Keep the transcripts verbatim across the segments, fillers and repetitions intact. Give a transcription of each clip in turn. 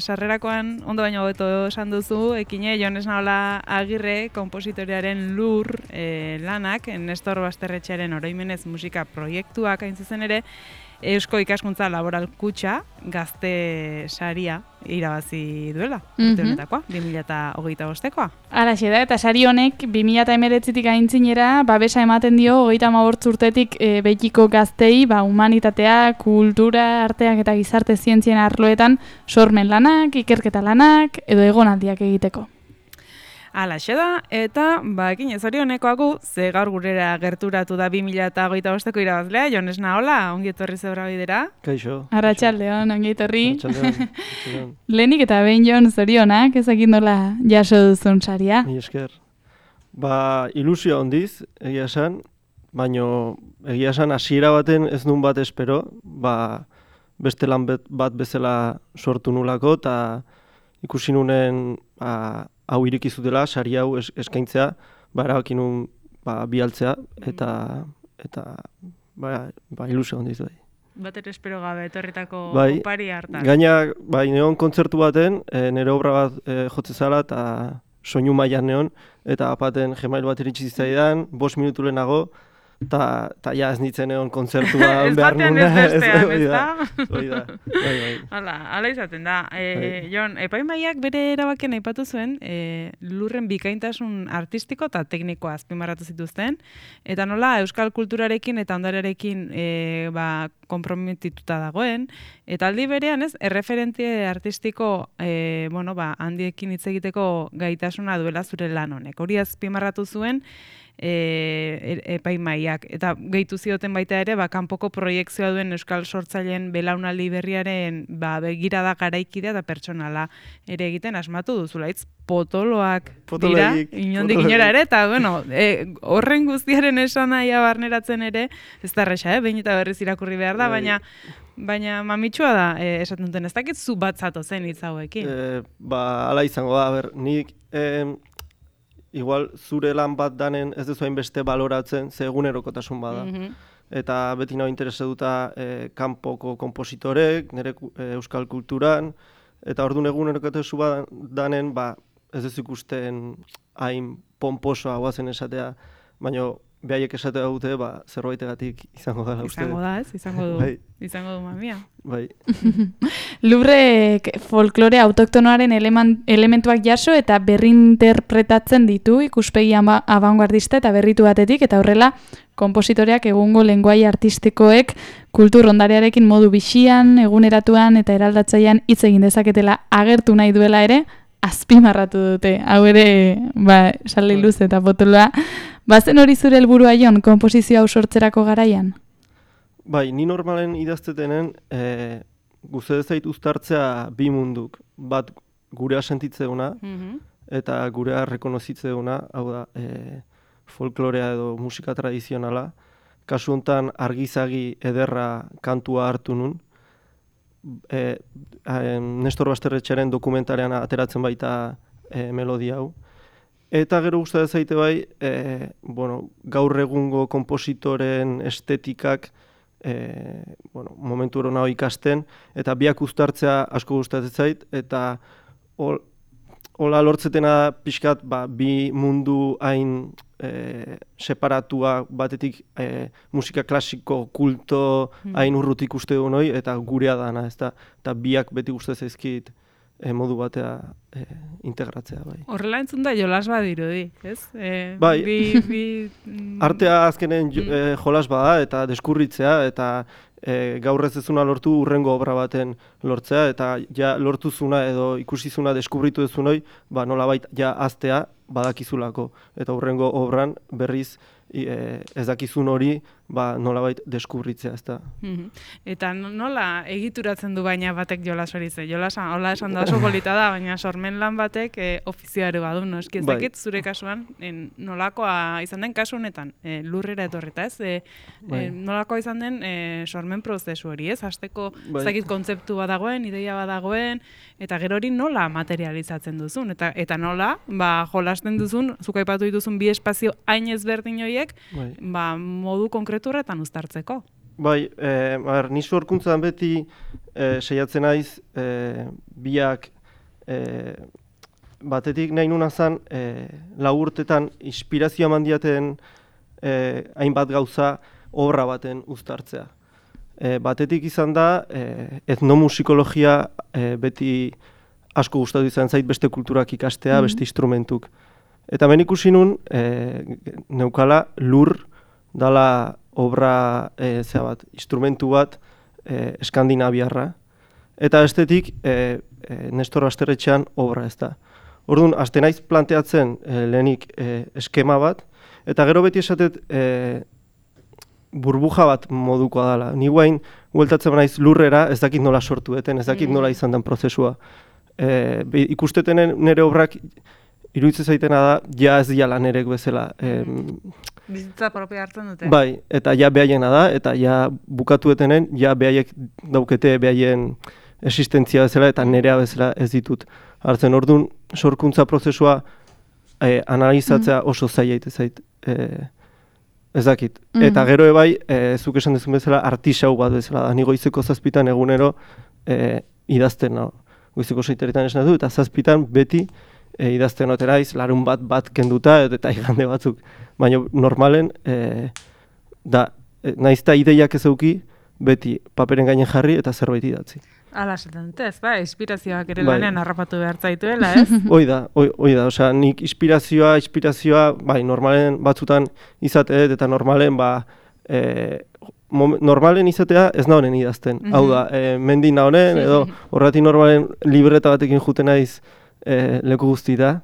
Sarrerakoan ondo baino hobeto esan duzu, ekine Jon Esnaola Agirre konpositorearen Lur e, lanak, Nestor Basterretxearen Oroimenez musika proiektuak hain zuzen ere, Eusko Ikaskuntza Laboral Kutxa gazte saria irabazi duela, urte honetakoa, bi mila hogeita bostekoa. Halaxe da, eta sari honek bi mila hemeretzitik aintzinera babesa ematen dio hogeita hamabost urtetik e, betiko gaztei, ba, humanitatea, kultura, arteak eta gizarte zientzien arloetan sormen lanak, ikerketa lanak edo egonaldiak egiteko. Halaxe da, eta bakin ez hori honekoagu, ze gaur gurera gerturatu da bi mila hogeita bosteko irabazlea, Jon Esnaola, ongi etorri zebra bidera. Kaixo. Arratsaldeon, ongi etorri. Arratsaldeon. Lehenik eta behin Jon zorionak, ezakit nola jaso duzun saria. Mi esker. Ba, ilusio handiz, egia esan, baino egia esan hasiera baten ez nun bat espero, ba, beste lan bat bezala sortu nulako, eta ikusi nunen ba, hau iriki zutela, sari hau eskaintzea, ba, erabaki nun ba, bialtzea, eta, eta ba, ba, ilusio handiz bai. Bater espero gabe, etorritako bai, opari hartan. Gaina, bai, neon kontzertu baten, e, nire obra bat e, jotze zala, eta soinu mailan neon, eta apaten Gmail bat iritsi zitzaidan, bost minutu lehenago, eta ja ez nintzen egon kontzertua behar nuna. Ez batean ez bestean, ez da? Hoi da, bai, bai. Hala, hala izaten da. E, Jon, epaimaiak bere erabakien aipatu zuen, e, lurren bikaintasun artistiko eta teknikoa azpimarratu zituzten, eta nola euskal kulturarekin eta ondarearekin e, ba, konprometituta dagoen, eta aldi berean ez, erreferentie artistiko e, bueno, ba, handiekin hitz egiteko gaitasuna duela zure lan honek. Hori azpimarratu zuen, E, epaimaiak. Eta gehitu zioten baita ere, ba, kanpoko proiekzioa duen euskal sortzaileen belaunaldi berriaren ba, begirada garaikidea eta pertsonala ere egiten asmatu duzula. Itz potoloak dira, inondik inora ere, eta bueno, e, horren guztiaren esan nahia barneratzen ere, ez da erresa, eh? Behin eta berriz irakurri behar da, baina baina mamitsua da, e, esaten duten, ez dakit zu bat zato zen hitz hauekin. E, ba, ala izango da, ber, nik... E, igual zure lan bat danen ez duzu hainbeste baloratzen, ze egunerokotasun bada. Mm-hmm. Eta beti nahi interesatuta e, kanpoko kompositorek, nire e, euskal kulturan, eta orduan egunerokotasun bat danen, ba, ez duz ikusten hain pomposoa guazen esatea, baina behaiek esatea dute, ba, zerbaitegatik izango da. Izango da, ez? Izango du, bai. Izango du mamia. Bai. Lubrek folklore autoktonoaren elementuak jaso eta berrinterpretatzen ditu ikuspegi abanguardista eta berritu batetik, eta horrela konpositoreak egungo lenguai artistikoek kultur ondarearekin modu bixian, eguneratuan eta eraldatzaian hitz egin dezaketela agertu nahi duela ere, azpimarratu dute. Hau ere, ba, sale luze eta potoloa. Bazen hori zure helburua Jon, konposizio hau sortzerako garaian? Bai, ni normalen idaztetenen e, guze zait uztartzea bi munduk. Bat gurea sentitzeuna mm-hmm. eta gurea rekonozitzeuna, hau da, e, folklorea edo musika tradizionala. Kasu honetan argizagi ederra kantua hartu nun. E, e, Nestor Basterretxearen dokumentarean ateratzen baita e, melodia hau. Eta gero gustatzen zaite bai, e, bueno, gaur egungo konpositoren estetikak e, bueno, momentu hori ikasten, eta biak uztartzea asko gustatzen zait, eta hol, hola lortzetena pixkat ba, bi mundu hain e, separatua batetik e, musika klasiko kulto hain urrutik uste du noi, eta gurea dana, ezta, eta biak beti gustatzen zaizkit E, modu batea e, integratzea, bai. Horrela entzun da jolas badirudi, ez? E, bai, bi, bi, artea azkenen mm. e, jolas bada eta deskurritzea, eta e, gaur ez dezuna lortu urrengo obra baten lortzea, eta ja lortuzuna edo ikusizuna deskubritu dezunoi, ba nolabait ja aztea badakizulako, eta urrengo obran berriz e, ez dakizun hori ba, nolabait deskubritzea, ez da. Mm-hmm. Eta nola egituratzen du baina batek jolas hori ze? Jolasa, hola esan da oso polita da, baina sormen lan batek e, ofizioare badu, no? Eski ez dakit zure kasuan, en, nolakoa izan den kasu honetan, e, lurrera etorrita, ez? E, e, nolakoa izan den e, sormen prozesu hori, ez? Hasteko, ez dakit kontzeptu bat dagoen, ideia bat dagoen, eta gero hori nola materializatzen duzun, eta eta nola, ba, jolasten duzun, zuk aipatu dituzun bi espazio hain ezberdin horiek, ba, modu konkretu horretan uztartzeko. Bai, e, bar, ni sorkuntzan beti e, saiatzen naiz e, biak e, batetik nahi nuna zan e, lau urtetan inspirazioa mandiaten e, hainbat gauza obra baten uztartzea. E, batetik izan da e, etnomusikologia e, beti asko gustatu izan zait beste kulturak ikastea, mm-hmm. beste instrumentuk. Eta ben ikusi nun e, neukala lur dala obra e, zea bat, instrumentu bat e, eskandinaviarra. Eta estetik e, e, Nestor Basterretxean obra ez da. Orduan, haste naiz planteatzen e, lehenik e, eskema bat, eta gero beti esatet e, burbuja bat modukoa dela. Ni guain, hueltatzen naiz lurrera, ez dakit nola sortu eten, ez dakit nola izan den prozesua. E, be, ikustetenen nire obrak iruditzen zaitena da, ja ez diala nerek bezala. E, Bizitza propia hartzen dute. Bai, eta ja behaiena da, eta ja bukatuetenen, ja behaiek daukete behaien existentzia bezala, eta nerea bezala ez ditut hartzen. Orduan, sorkuntza prozesua e, analizatzea oso zaila ite zait. E, ez dakit. Mm. Eta gero ebai, e, zuk esan dezun bezala, artisau bat bezala da. Ni goizeko zazpitan egunero e, idazten, no? Goizeko seiteretan esan du, eta zazpitan beti e, idazten oteraiz, larun bat bat kenduta, eta igande batzuk. Baina normalen, e, da, e, naizta ideiak ez euki, beti paperen gainen jarri eta zerbait idatzi. Ala, esaten dute ez, ba, inspirazioak ere bai. Lanean harrapatu behar zaituela, ez? Hoi da, hoi da, osea, nik inspirazioa, inspirazioa, bai, normalen batzutan izateet, eta normalen, ba, e, normalen izatea ez nahonen idazten. Mm-hmm. Hau da, e, mendi nahonen, edo horretik normalen libreta batekin juten naiz e, leku guzti da,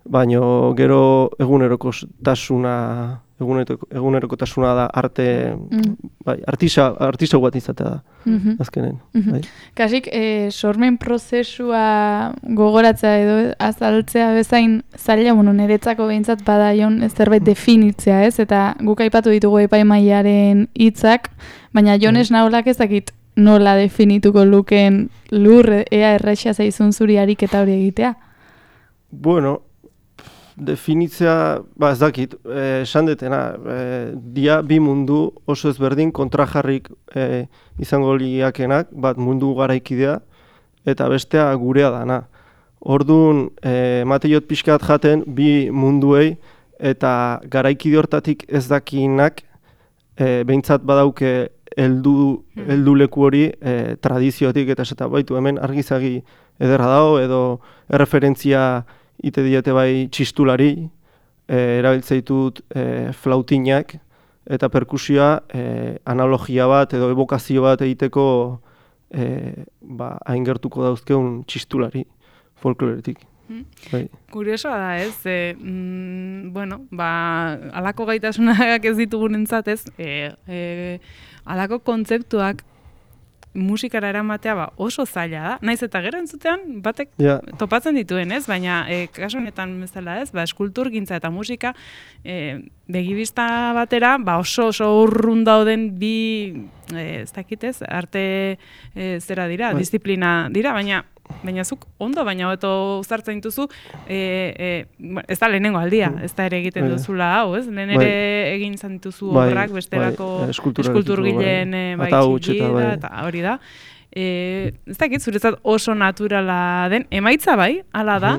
baina gero egunerokotasuna, egunerokotasuna da arte, mm. bai, artisa, artisa bat izatea da, mm-hmm. azkenen. Mm-hmm. Bai. Kasik, e, sormen prozesua gogoratzea edo azaltzea bezain zaila, bueno, niretzako behintzat bada jon zerbait definitzea, ez? Eta guk aipatu ditugu epaimaiaren hitzak, baina Jones mm. naholak ezakit nola definituko luken lur, ea erraixa zaizun zuri ariketa hori egitea? Bueno, definitzea, ba ez dakit, esan detena, e, dia bi mundu oso ezberdin kontrajarrik e, izango liakenak, bat mundu garaikidea, eta bestea gurea dana. Orduan, e, mateiot pixkat jaten bi munduei, eta garaikide hortatik ez dakinak, e, behintzat badauke heldu, heldu leku hori e, tradiziotik, eta esata baitu hemen argizagi ederra dago, edo erreferentzia ite diete bai txistulari, e, erabiltzeitut e, flautinak, eta perkusioa e, analogia bat edo evokazio bat egiteko e, ba, aingertuko dauzkeun txistulari folkloretik. Hmm. Bai. Kuriosoa da ez, e, mm, bueno, ba, alako gaitasunak ez ditugunentzat ez, e, e, alako kontzeptuak musikara eramatea ba, oso zaila da. Naiz eta gero entzutean batek yeah. topatzen dituen, ez? Baina e, kasu honetan bezala, ez? Ba, eskulturgintza eta musika e, begibista batera, ba, oso oso urrun dauden bi e, ez dakit, ez? Arte e, zera dira, right. Disiplina dira, baina baina zuk ondo, baina hobeto uzartzen dituzu, e, e, ez da lehenengo aldia, ez da ere egiten duzula hau, ez? Lehen ere egin izan dituzu obrak, bestelako eskulturgileen bai txiki da, eta hori da. E, ez dakit, zuretzat oso naturala den, emaitza bai, hala da,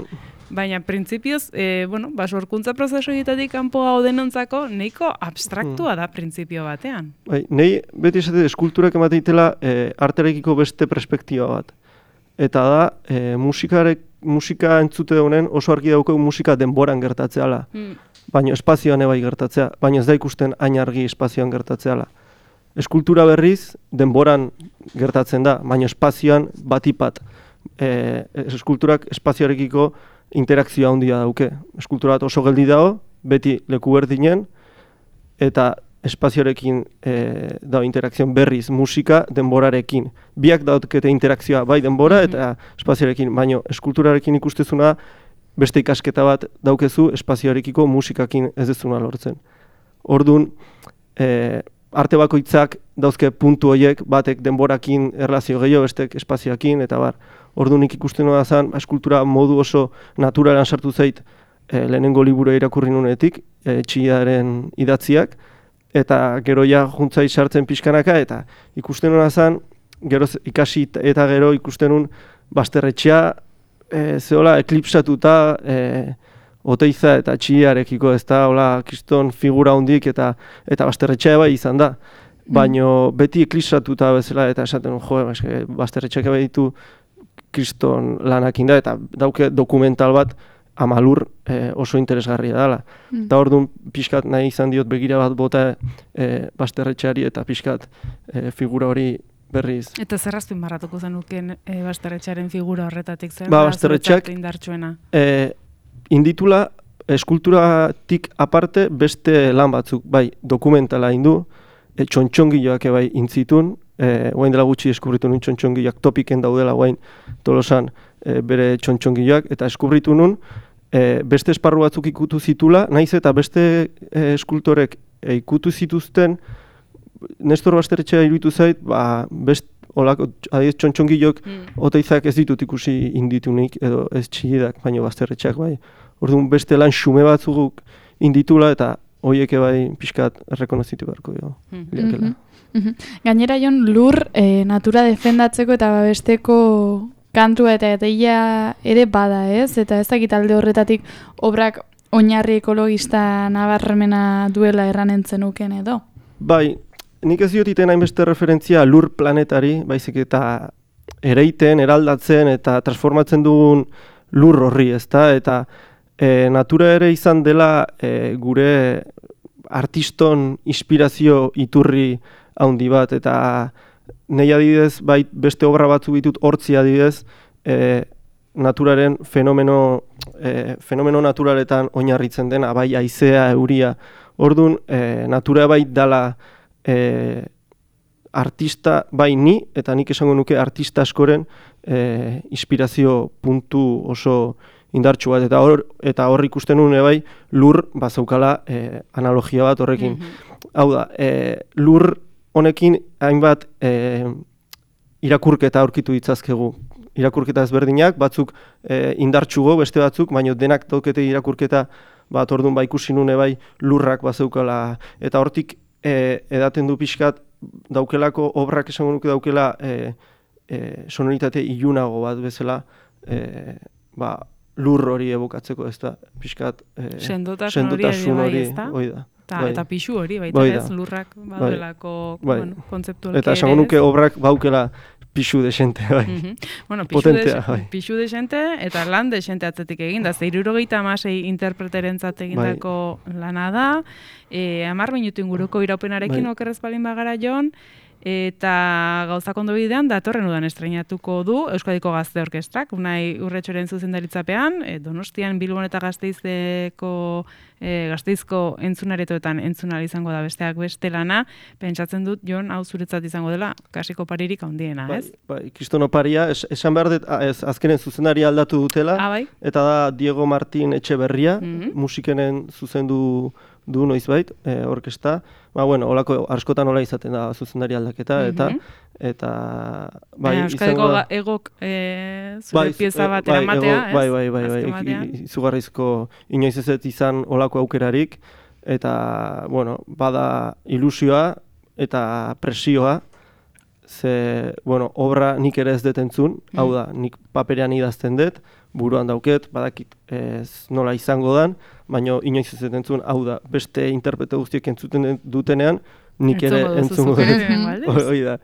baina printzipioz, e, bueno, ba, sorkuntza prozesu egitetik kanpo hau denontzako, nahiko abstraktua da printzipio batean. Bai, nahi beti esate eskulturak emateitela e, arterekiko beste perspektiba bat. Eta da, e, musikarek, musika entzute honen oso argi daukau musika denboran gertatzeala. Mm. Baina espazioan ebai gertatzea, baina ez da ikusten hain argi espazioan gertatzeala. Eskultura berriz denboran gertatzen da, baina espazioan batipat. E, eskulturak espazioarekiko interakzioa handia dauke. Eskultura bat oso geldi dago, beti leku berdinen, eta espazioarekin e, dago interakzio berriz musika denborarekin. Biak daukete interakzioa bai denbora eta espazioarekin, baina eskulturarekin ikustezuna beste ikasketa bat daukezu espazioarekiko musikakin ez dezuna lortzen. Orduan, e, arte bakoitzak dauzke puntu horiek batek denborakin erlazio gehiago, bestek espazioakin, eta bar. Orduan nik ikusten da zen, eskultura modu oso naturalan sartu zait e, lehenengo liburu irakurri nunetik, e, txillaren idatziak, eta gero ja juntzai sartzen pixkanaka, eta ikusten hona zen, gero ikasi eta gero ikusten nun bazterretxea, e, zehola eklipsatuta, e, Oteiza eta txiarekiko, ez da, hola, kriston figura hondik eta eta bazterretxea bai izan da. Baino beti eklipsatuta bezala eta esaten, jo, bazterretxeak bai ditu kriston lanakin da, eta dauke dokumental bat Amalur e, oso interesgarria dela. Mm. Eta orduan pixkat nahi izan diot begira bat bota e, bazterretxeari eta pixkat e, figura hori berriz. Eta zer azpimarratuko zenuken e, bazterretxearen figura horretatik zer ba, da bazterretxeak indartsuena? E, inditula eskulturatik aparte beste lan batzuk, bai, dokumentala indu, e, txontxongiloak bai intzitun, e, oain dela gutxi eskubritu nun txontxongiloak topiken daudela oain Tolosan e, bere txontxongiloak, eta eskubritu nun e, beste esparru batzuk ikutu zitula, naiz eta beste e, eskultorek e, ikutu zituzten, Nestor Bazterretxea iruditu zait, ba, best, olako, adiez txontxongilok, mm. Oteizak ez ditut ikusi inditunik, edo ez txigidak, baina Bazterretxeak bai. Orduan beste lan xume batzuk inditula, eta horiek bai pixkat errekonozitu beharko jo. Mm -hmm. mm -hmm. Gainera Jon, lur e, natura defendatzeko eta babesteko kantua eta eteia ere bada, ez? Eta ez dakit alde horretatik obrak oinarri ekologista nabarmena duela erranentzen uken edo? Bai, nik ez diotiten hainbeste referentzia lur planetari, baizik eta ereiten, eraldatzen eta transformatzen dugun lur horri, ezta? Eta e, natura ere izan dela e, gure artiston inspirazio iturri handi bat, eta nahi adidez, bai, beste obra batzu ditut hortzi adidez, e, naturaren fenomeno, e, fenomeno naturaletan oinarritzen dena, bai, haizea, euria. Orduan, e, natura bai dala E, artista, bai ni, eta nik esango nuke artista askoren e, inspirazio puntu oso indartsu bat, eta hor eta hor ikusten nuen bai lur bazaukala e, analogia bat horrekin. Mm-hmm. Hau da, e, lur honekin hainbat e, irakurketa aurkitu ditzazkegu. Irakurketa ezberdinak, batzuk e, indartsugo, beste batzuk, baina denak daukete irakurketa bat, orduan ba ikusi nune bai lurrak bazaukala, eta hortik E, edaten du pixkat daukelako, obrak esango nuke daukela e, e, sonoritate ilunago bat bezala e, ba, lur hori evokatzeko, ez da, pixkat e, sendotasun hori, ez da? Hoi da. Ta, bai. Eta pixu hori, baita bai ez, lurrak baduelako bai. bueno, kontzeptualki. Eta esango nuke obrak baukela pixu desente, bai. Mm -hmm. Bueno, pixu, Potentea, de, bai. pixu desente eta lan desente atzetik egin da. Ze hirurogeita hamasei interpreterentzat egindako bai. Lana da. E, hamar minutu inguruko iraupenarekin bai. Okerrez balin bagara Jon. Eta gauzak ondo bidean, datorren udan estreinatuko du Euskadiko Gazte Orkestrak, Unai Urretxoren zuzendaritzapean, e, Donostian, Bilbon eta Gasteizeko e, Gasteizko entzunaretoetan entzunal izango da besteak beste lana. Pentsatzen dut, Jon, hau zuretzat izango dela, kasiko paririk handiena, ez? Bai, bai, kriston oparia, es, esan behar dut, ez, azkenen zuzendari aldatu dutela, ah, bai? Eta da Diego Martin Etxeberria, mm -hmm. musikenen zuzendu du noizbait, e, orkesta. Ba, bueno, holako askotan hola izaten da zuzendari aldaketa, mm -hmm. eta eta bai, Euskadiko da, egok e, zure bai, pieza bat bai, eramatea, ez? Bai, bai, bai, bai, izugarrizko inoiz ez izan holako aukerarik, eta, bueno, bada ilusioa eta presioa, ze, bueno, obra nik ere ez detentzun, mm. hau da, nik paperean idazten dut, buruan dauket, badakit ez nola izango dan, baina inoiz ez detentzun, hau da, beste interprete guztiek entzuten dutenean, nik ere entzungo dut. Hoi da,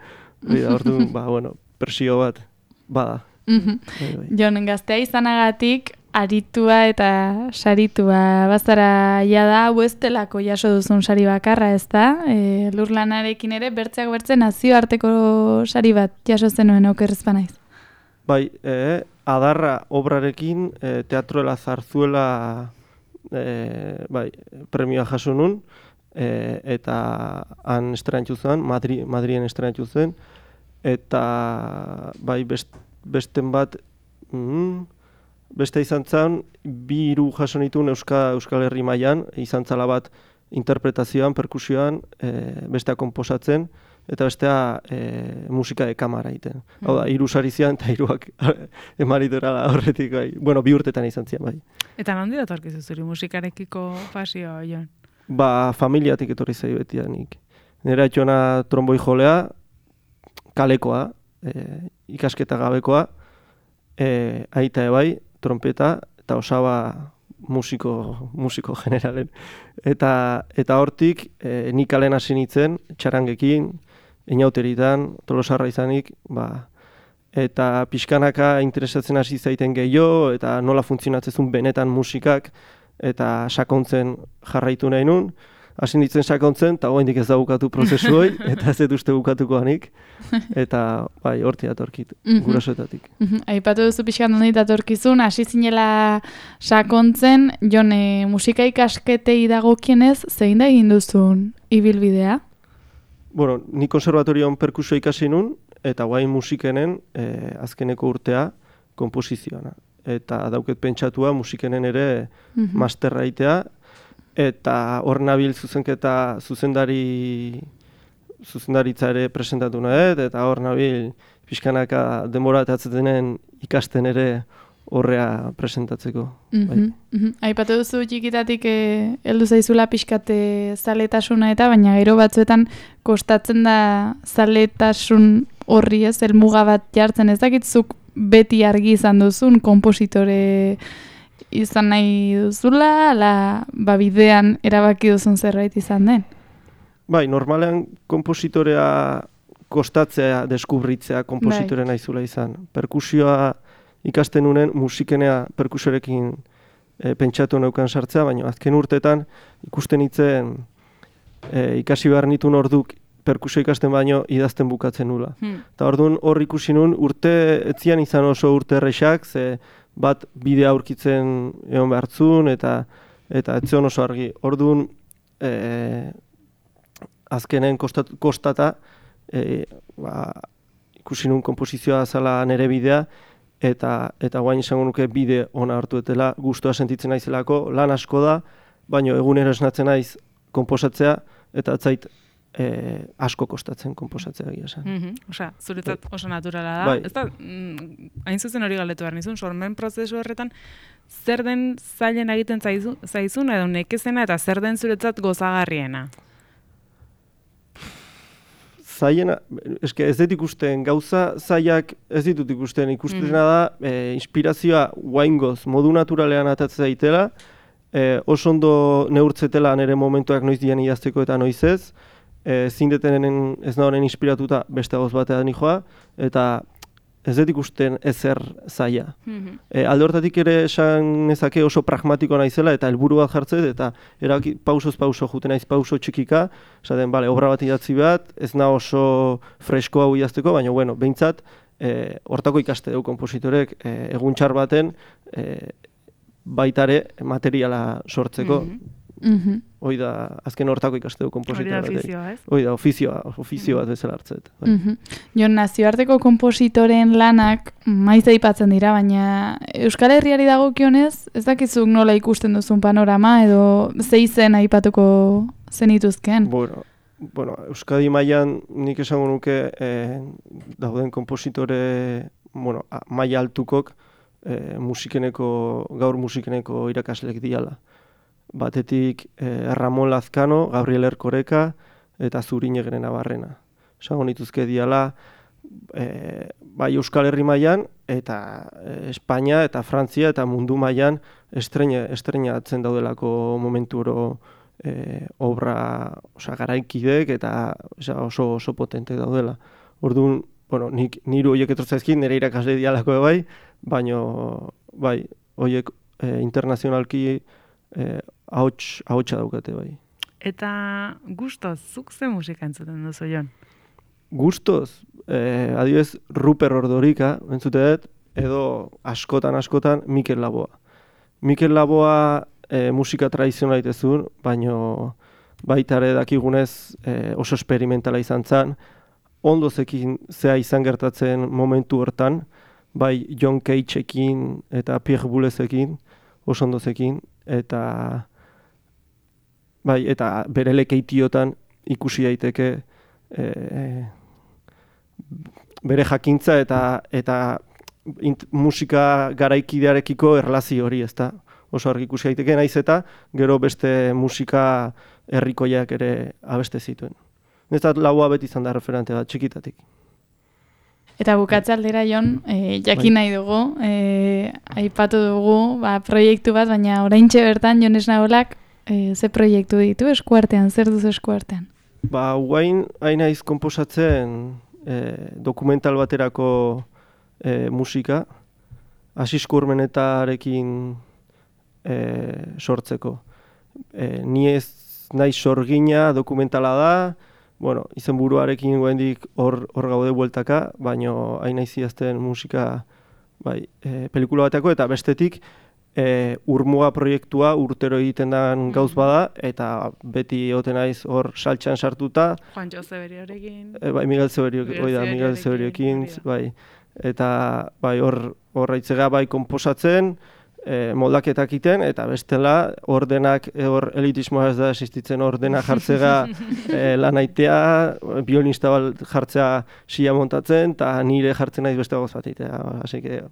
hoi da, ordu, ba, bueno, presio bat, bada. Mm-hmm. Jon, gaztea izanagatik, aritua eta saritua bazara jada, hau ez delako jaso duzun sari bakarra, ez da? E, lurlanarekin ere, bertzeak bertze nazioarteko sari bat jaso zenuen okerrez banaiz. Bai, e, Adarra obrarekin, e, Teatroela Zarzuela e, bai, premioa jaso nun, e, eta han estrenatu zen, Madri, Madrien estrenatu zen, eta bai, best, besten bat, mm, beste izan zen, bi hiru jaso nituen Euska, Euskal Herri mailan, izan zala bat interpretazioan, perkusioan, e, bestea konposatzen, eta bestea e, musika de kamara egiten. Mm. Hau da, hiru sari zian eta hiruak emaritorala horretik, bai. Bueno, bi urtetan izan zian, bai. Eta nondi datorkizu zuri musikarekiko pasioa, Jon? Ba, familiatik etorri zai betidanik. Nera etxona tromboi jolea, kalekoa, e, ikasketa gabekoa, e, aita ebai, trompeta, eta osaba musiko, musiko generalen. Eta, eta hortik, e, nik alen hasi nintzen, txarangekin, inauteritan, tolosarra izanik, ba, eta pixkanaka interesatzen hasi zaiten gehiago, eta nola funtzionatzezun benetan musikak, eta sakontzen jarraitu nahi nun, hasi nintzen sakontzen, eta oraindik ez da bukatu prozesu hoi, eta ez dut uste bukatuko hanik, eta bai, horti datorkit, gurasoetatik. Aipatu duzu pixkan hondi datorkizun, hasi zinela sakontzen, Jon, e, musika ikasketei dagokienez, zein da egin duzun ibilbidea? Bueno, ni konservatorioan perkusio ikasi nun, eta guain musikenen e, azkeneko urtea komposizioana. Eta dauket pentsatua musikenen ere mm-hmm. masterra itea, eta hor nabil zuzenketa zuzendari zuzendaritza ere presentatu nahet, eta hor nabil pixkanaka denbora denen ikasten ere horrea presentatzeko. Mm-hmm. Bai. Mm-hmm. Aipatu duzu txikitatik eh, heldu zaizula pixkate zaletasuna eta, baina gero batzuetan kostatzen da zaletasun horri ez, helmuga bat jartzen, ez dakitzuk beti argi izan duzun, kompositore izan nahi duzula, ala ba, bidean erabaki duzun zerbait izan den? Bai, normalean kompositorea kostatzea, deskubritzea kompositore bai. Naizula izan. Perkusioa ikasten unen musikenea perkusiorekin e, pentsatu neukan sartzea, baina azken urtetan ikusten itzen e, ikasi behar nitun orduk perkusio ikasten baino idazten bukatzen nula. Hmm. Eta orduan hor ikusi nun urte etzian izan oso urte errexak, ze bat bidea aurkitzen egon behartzun eta eta etzion oso argi. Orduan e, azkenen kostat, kostata e, ba, ikusi nun komposizioa zala nere bidea, eta eta guain izango nuke bide ona hartu etela, gustua sentitzen naizelako, lan asko da, baino egunero esnatzen naiz konposatzea, eta atzait e, asko kostatzen konposatzea egia esan. Mm-hmm. Osea, zuretzat oso naturala da. Bai. Ez da, mm, hain zuzen hori galdetu behar nizun, sormen prozesu horretan, zer den zailen egiten zaizu, zaizun, edo nekezena, eta zer den zuretzat gozagarriena? Zaiena, eske ez dut ikusten, gauza zaiak ez ditut ikusten, ikustena mm. da, e, inspirazioa guaingoz, modu naturalean atatzea daitela, e, oso ondo neurtzetela nire momentuak noiz dian idazteko eta noiz ez, e, zindetenen ez nahoren inspiratuta beste gauz batean joa, eta ez dut ikusten ezer zaila. Mm-hmm. E, alde hortatik ere esan nezake oso pragmatiko naizela eta helburu bat jartzet, eta eraki pausoz pauso juten naiz pauso txikika, esaten, bale, obra bat idatzi bat, ez na oso fresko hau idazteko, baina, bueno, behintzat, e, hortako ikaste dugu kompositorek, e, egun txar baten, e, baitare materiala sortzeko. Mm-hmm. Mm-hmm. Hoi da, azken hortako ikaste dugu kompositore bat. Hori da ofizioa, ez? Hoi da, ofizioa, ofizio bat bezala hartzet. Bai. Mm-hmm. Jon, nazioarteko kompositoren lanak maiz aipatzen dira, baina Euskal Herriari dagokionez, ez dakizuk nola ikusten duzun panorama, edo ze izen aipatuko zenituzken? Bueno, bueno, Euskadi mailan nik esango nuke eh, dauden kompositore, bueno, maila altukok eh, musikeneko, gaur musikeneko irakaslek diala. Batetik eh, Ramon Lazkano, Gabriel Erkoreka eta Zuriñegren Navarrena. Esango nituzke diala eh, bai Euskal Herri mailan eta eh, Espainia eta Frantzia eta mundu mailan estrena estrenatzen daudelako momentu oro eh, obra, osea, garaikidek eta osea, oso oso potente daudela. Orduan, bueno, nik niru hoiek etortzaizkin nire irakasle dialako bai, baino bai, hoiek eh, internazionalki eh, ahots, ahotsa daukate bai. Eta gustoz, zuk ze musika entzuten duzu, Jon? Gustoz, eh, adibidez Ruper Ordorika, entzute dut, edo askotan askotan Mikel Laboa. Mikel Laboa eh, musika tradizionala itezun, baino baita ere dakigunez eh, oso esperimentala izan zen, ondo zekin zea izan gertatzen momentu hortan, bai John Cageekin eta Pierre Boulez'ekin, oso ondo zekin, eta bai, eta bere lekeitiotan ikusi daiteke e, bere jakintza eta eta int, musika garaikidearekiko erlazio hori, ezta? oso argi ikusi daiteke, naiz eta gero beste musika herrikoiak ere abeste zituen. Netzat laua beti izan da referente bat, txikitatik. Eta bukatze aldera, Jon, e, jakin nahi dugu, e, aipatu dugu, ba, proiektu bat, baina oraintxe bertan Jon Esnaolak e, ze proiektu ditu eskuartean, zer duzu eskuartean? Ba, guain hain naiz konposatzen e, dokumental baterako e, musika, Asisko Urmenetarekin e, sortzeko. E, ni ez naiz sorgina dokumentala da, bueno, izenburuarekin guendik hor hor gaude bueltaka, baino hain naiz idazten musika bai, e, pelikula bateko eta bestetik e, Urmuga proiektua urtero egiten den gauz bada eta beti egoten naiz hor saltxan sartuta. Juan Jose Beriorekin. E, bai, Miguel Zeberiorekin, hori da, Miguel Zeberiorekin, bai. Eta bai, hor hor aitzega bai konposatzen, E, moldaketak egiten, eta bestela ordenak, hor elitismoa ez da existitzen, ordena jartzega e, lanaitea, biolinista bat jartzea sila montatzen, eta nire jartzen naiz beste gauz bat egitea. Así que,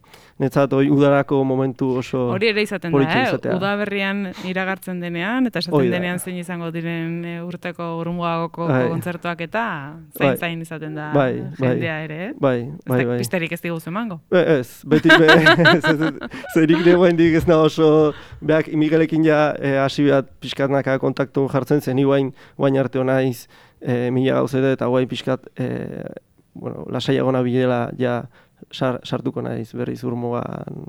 netzat, hoi udarako momentu oso hori ere izaten da, eh? Udaberrian iragartzen denean, eta esaten denean zein izango diren e, urteko Urmugako kontzertuak eta zain zain izaten da bai, jendea ere, eh? Bai, bai, bai. Pisterik ez diguz emango? Ez, beti, zerik degoen ez da oso, beak Miguelekin ja hasi e, bat pixkatnaka kontaktu jartzen zen, guain, guain arte honaiz e, mila gauzete eta guain pixkat, e, bueno, lasaiagona bilela ja sar, sartuko naiz berriz Urmugan.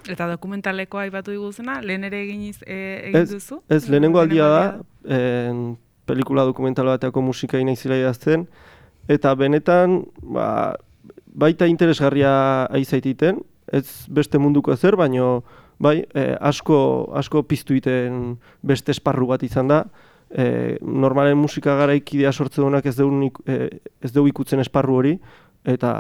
Eta dokumentalekoa aipatu diguzena, lehen ere egin, e, egin duzu? Ez, lehenengo aldia da, en, pelikula dokumental bateako musika inaizila idazten, eta benetan, ba, baita interesgarria aizaititen, ez beste munduko ezer, baino bai, eh, asko, asko piztu iten beste esparru bat izan da. Eh, normalen musika garaikidea sortze duenak ez dugu eh, ez dugu ikutzen esparru hori, eta,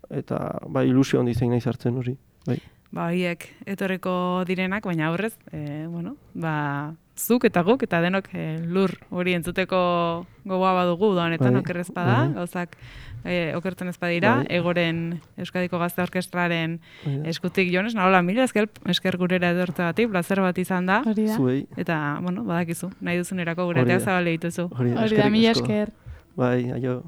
eta bai, ilusio handi zein nahi zartzen hori. Bai. Ba, horiek etorreko direnak, baina aurrez, eh, bueno, ba, zuk eta guk, eta denok eh, lur hori entzuteko gogoa badugu da honetan, bai, okerrez bada, bai, gauzak e, okertzen ez badira, bai, Egoren Euskadiko Gazte Orkestraren bai, eskutik Jon Esnaola, mila esker, esker gurera edortzeagatik, plazer bat izan da. Zuei. Eta, bueno, badakizu, nahi duzunerako guretea zabale dituzu. Hori da, mila esker. Bai, aio.